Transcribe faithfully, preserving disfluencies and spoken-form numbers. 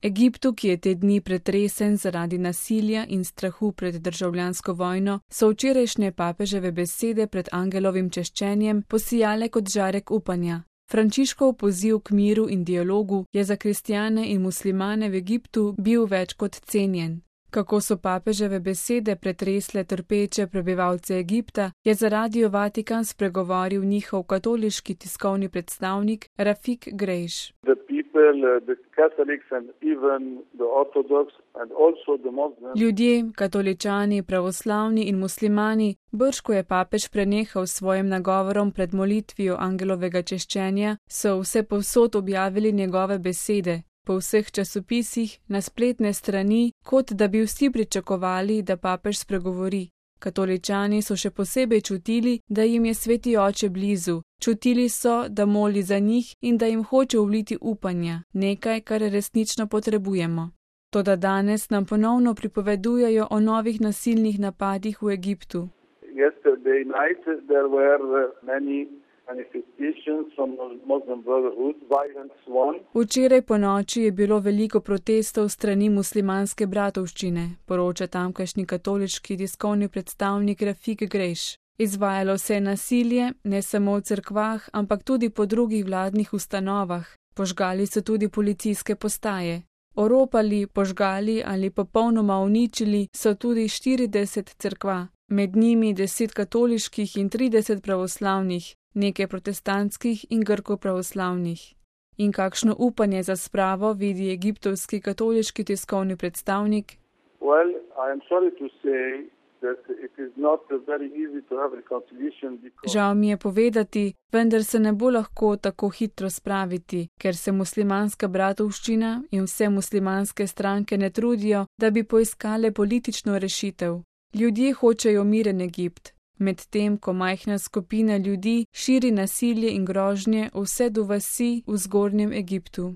Egiptu, ki je te dni pretresen zaradi nasilja in strahu pred državljansko vojno, so včerajšnje papeževe besede pred angelovim češčenjem posijale kot žarek upanja. Frančiškov poziv k miru in dialogu je za kristjane in muslimane v Egiptu bil več kot cenjen. Kako so papeževe besede pretresle trpeče prebivalce Egipta, je za Radio Vatikan spregovoril njihov katoliški tiskovni predstavnik Rafik Grejš. Ljudje, katoličani, pravoslavni in muslimani, brž ko je papež prenehal s svojim nagovorom pred molitvijo angelovega češčenja, so vse povsod objavili njegove besede. Po vseh časopisih, na spletne strani, kot da bi vsi pričakovali, da papež spregovori. Katoličani so še posebej čutili, da jim je sveti oče blizu. Čutili so, da moli za njih in da jim hoče vliti upanja, nekaj, kar resnično potrebujemo. Toda danes nam ponovno pripovedujejo o novih nasilnih napadih v Egiptu. Yesterday night there were many manifestations from Muslim Brotherhood, violence one. Včeraj po noči je bilo veliko protestov strani muslimanske bratovščine, poroča tamkajšnji katoliški tiskovni predstavnik Rafik Grejš. Izvajalo se je nasilje, ne samo v cerkvah, ampak tudi po drugih vladnih ustanovah. Požgali so tudi policijske postaje. Oropali, požgali ali popolnoma uničili so tudi štirideset cerkva, med njimi deset katoliških in trideset pravoslavnih, nekaj protestantskih in grko-pravoslavnih. In kakšno upanje za spravo vidi egiptovski katoliški tiskovni predstavnik? Well, I am sorry to say that it is not very easy to have reconciliation because... Žal mi je povedati, vendar se ne bo lahko tako hitro spraviti, ker se muslimanska bratovščina in vse muslimanske stranke ne trudijo, da bi poiskale politično rešitev. Ljudje hočejo miren Egipt. Medtem ko majhna skupina ljudi širi nasilje in grožnje vse do vasi v zgornjem Egiptu.